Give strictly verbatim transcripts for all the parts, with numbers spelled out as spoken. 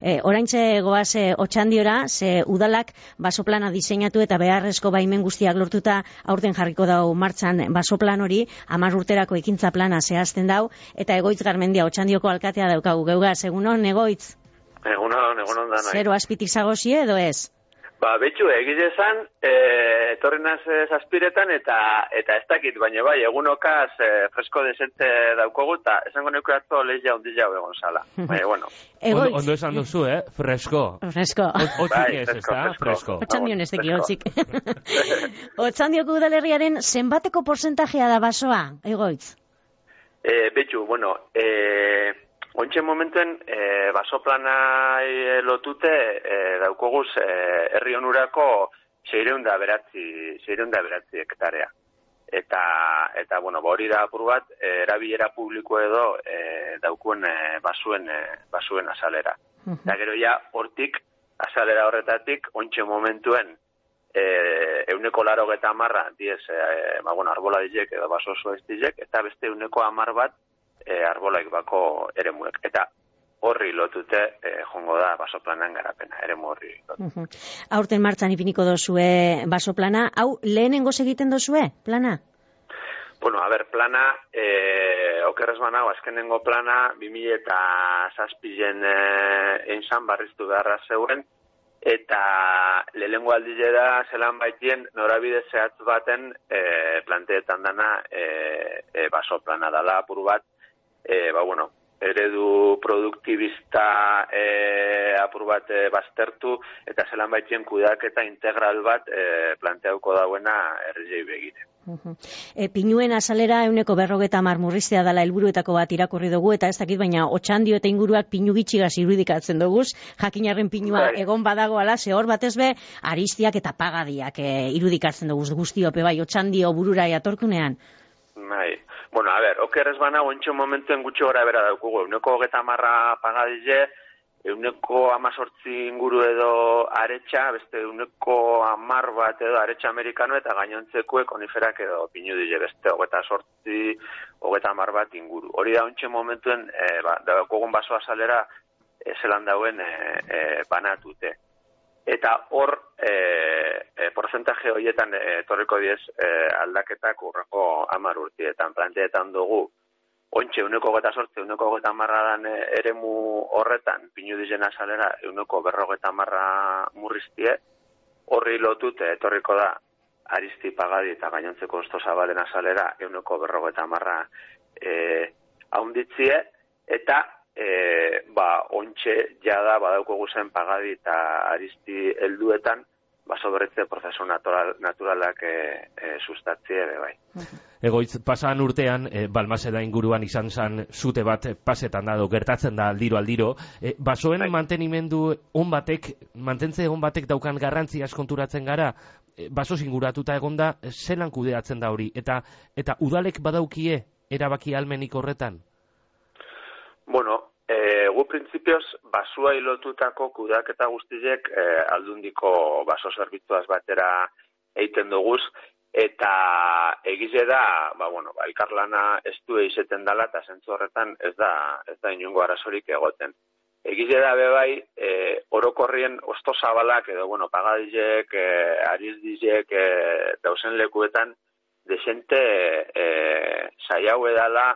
E, oraintxe goaz e, Otxandiora, ze udalak basoplana diseinatu eta beharrezko baimen guztiak lortuta aurten jarriko dau martxan basoplan hori, hamar urterako ekintza plana zehazten dau, eta Egoitz Garmendia Otxandioko alkatea daukagu. Geugaz, egunon, Egoitz? Egunon, egunon da nahi. Zero azpitik zagozie edo ez? Ba, betxu, egile esan, e, etorri naz zazpiretan, eta eta ez dakit, baina bai, egunokaz e, fresko desente daukogu, eta esango neko atzo lehia hundi jau egon zala. Baina, bueno. Ondo, ondo esan duzu, eh? Fresko. Fresko. Otzik ez, ez da? Fresko. Otxandion ez teki, otzik. Otxandioko udalerriaren zenbateko porcentajea da basoa, Egoitz? E, betxu, bueno, e... Ointxe momentuen, e, basoplana e, lotute e, daukoguz e, herri onurako seireunda beratzi, seireunda beratzi hektarea. Eta, eta bueno, hori da apur bat, e, erabilera publiko edo e, daukuen e, basuen, e, basuen azalera. Uh-huh. Eta gero ja, hortik, azalera horretatik, ointxe momentuen, e, euneko laro geta amarra, diez, e, ba, bueno, arbola dizek edo baso oso ez dizek, eta beste euneko amar bat, E, arbolaik bako eremuek. Eta horri lotute e, jongo da basoplanan garapena, eremu horri lotute. Uh-huh. Aurten martxan ipiniko dozue basoplana. Hau, lehenengoz egiten dozue, plana? Bueno, a ber, plana, e, okerrez banago, azkenengo plana, bi mila eta zazpilen e, einzan barriztu beharra zeuen, eta lehenengo aldile da zelan baitien norabide zehatz baten e, planteetan dana e, e, basoplana dala apur bat. E, ba, bueno, eredu produktibista e, apur bat e, baztertu, eta zelan baitien kudeaketa integral bat e, planteauko dauena herriei begire. Uh-huh. E, pinuen azalera euneko berrogeta marmurriztea dala helburuetako bat irakurri dugu, eta ez dakit, baina Otxandio eta inguruak pinu gitxigaz irudikatzen duguz, jakinarren pinua bai. Egon badagoala, ze hor batez be, aristiak eta pagadiak e, irudikatzen duguz guztiope, bai, Otxandio burura eatorkunean. Bai, bueno, a ber, okerrez bana, ontxo momentuen gutxi gora bera daukugu, euneko geta marra pagadize, euneko amazortzi inguru edo aretsa, beste euneko amar bat edo aretsa amerikano, eta gainontzekue koniferak edo pinu dize, beste hogeta sortzi, hogeta amar bat inguru. Hori da ontxe momentuen, e, ba, daukogun baso azalera, e, zelan dauen e, e, banatute. Eta hor, e, e, porcentaje horietan e, torriko diez e, aldaketak urrako amar urtietan, planteetan dugu, ontxe, euneko geta sortze, euneko geta marra dan e, eremu horretan, pinu dizen azalera, euneko berrogeta marra murriztie, horri lotute, etorriko da, aristi pagadi eta gainontzeko osto zabalen azalera, euneko berrogeta marra e, haunditzie, eta E, ba, ontxe jada badauko guzen pagadi eta aristi helduetan baso berretze prozesu natural, naturalak e, e, sustatzie ere bai. Egoitz, pasan urtean, e, Balmaseda inguruan izan zan zute bat pasetan da, gertatzen da aldiro aldiro. E, basoen bai. Mantenimendu on batek, mantentze on batek daukan garrantziaz konturatzen gara, e, baso inguratuta egonda, zelan kudeatzen da hori, eta eta udalek badaukie erabaki almenik horretan? Bueno, e, gu printzipioz basua ilotutako kudeaketa guztiek e, aldundiko baso zerbitzuaz batera eiten duguz, eta egize da, ba, bueno, ba, elkarlana ez du eizeten dala, eta zentzu horretan ez da, ez da inungo arazorik egoten. Egize da bebai, e, orokorrien osto zabalak, edo, bueno, pagadizek, e, arizdizek, e, dausen lekuetan, desente e, saiau edala,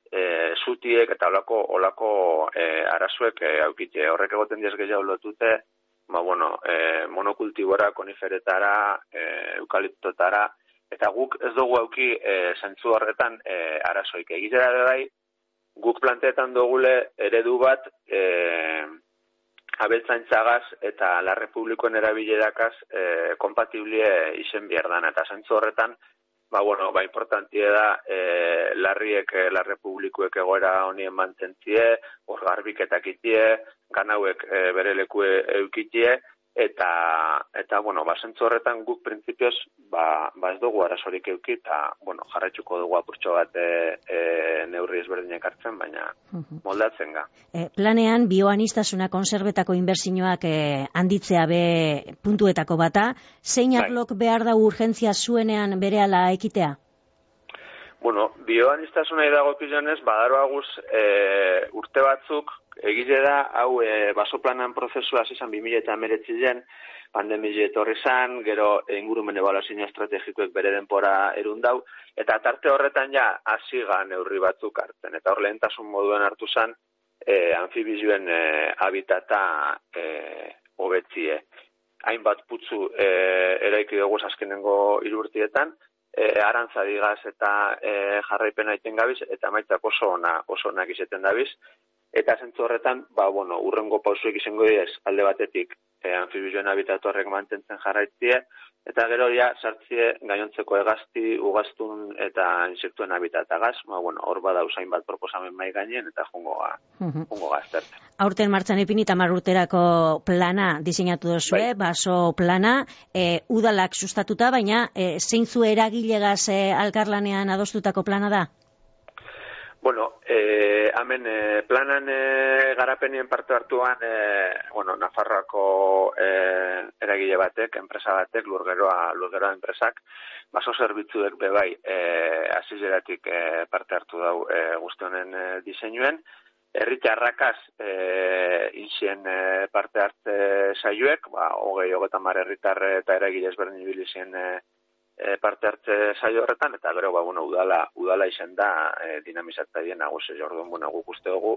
E, zutiek eta olako, olako e, arazuek e, aukite. Horrek egoten diez gehiago lotute, ba, bueno, e, monokultibora, koniferetara, e, eukaliptotara, eta guk ez dugu auki e, zentzu horretan e, arazoik. Egitera da bai, guk planteetan dugule eredu bat e, abeltzaintzagaz eta la republikoen erabilerakaz e, kompatiblie izen bierdan, eta zentzu horretan ba, bueno, ba, importantie da, e, larriek, e, la republikuek egoera honien mantentzie, hor garbiketak itie, ganauek e, bere leku eukitie, eta, eta, bueno, ba, zentzu horretan guk printzipioz, ba, ba ez dugu arazorik euki, eta, bueno, jarraitzuko dugu apurtxo bat e, e, neurri ezberdinek hartzen, baina moldatzen ga. E, planean, bioanistasuna konserbetako inbertsioak e, handitzea be puntuetako bata, zein arlok behar da urgentzia zuenean berehala ekitea? Bueno, bioaniztasuna idagokionez, badaroaguz e, urte batzuk, egile da, hau e, basoplanan prozesua izan bi mila hemeretzian, pandemia etorri zan, gero ingurumen ebaluazio estrategikoek bere denpora erundau, eta tarte horretan ja hasiga neurri batzuk hartzen. Eta hor lehentasun moduen hartu zan, e, anfibizioen e, habitata e, hobetzie. Hainbat putzu e, eraiki dugu azkenengo hiru urtietan, e, arantza digaz eta e, jarraipena iten gabiz, eta maitzak oso ona, oso onak izeten dabiz. Eta zentzu horretan, ba, bueno, urrengo pausuek izango diez, alde batetik, e, anfibizioen habitatu horrek mantentzen jarraitzie, eta gero ja sartzie gainontzeko hegazti, ugaztun eta insektuen habitatagaz, ba, bueno, hor bada usain bat proposamen mai gainen, eta jungo ga, jungo gaztertzen. Aurten martxan ipini tamar urterako plana diseinatu duzue, bai. Baso plana, e, udalak sustatuta, baina e, zeintzu eragilegaz e, alkarlanean adostutako plana da? Bueno, eh, hemen eh, planan eh, garapenien parte hartuan, eh, bueno, Nafarroako eh, eragile batek, enpresa batek, lurgeroa, lurgeroa enpresak, baso zerbitzuek bebai eh, azizeratik eh, parte hartu dau eh, guzti honen eh, diseinuen. Herritarrakaz eh, inzien eh, parte hartze saioek, ba, hogei, hogeita mar herritar eta eragile ezberdin ibilizien eh, E, parte hartze saio horretan, eta gero, ba, bueno, udala, udala izen da e, dinamizatzaile nagusi, orduan, bueno, guk uste dugu,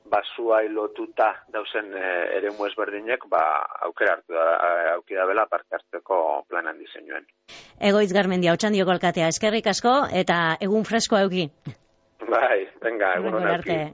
basuai lotuta dauzen e, eremu ezberdinek, ba, aukera hartu da, aukera bela parte hartzeko planan diseinuen. Egoitz Garmendia, Otxandioko alkatea, eskerrik asko, eta egun fresko euki. Bai, venga, egun hona euki.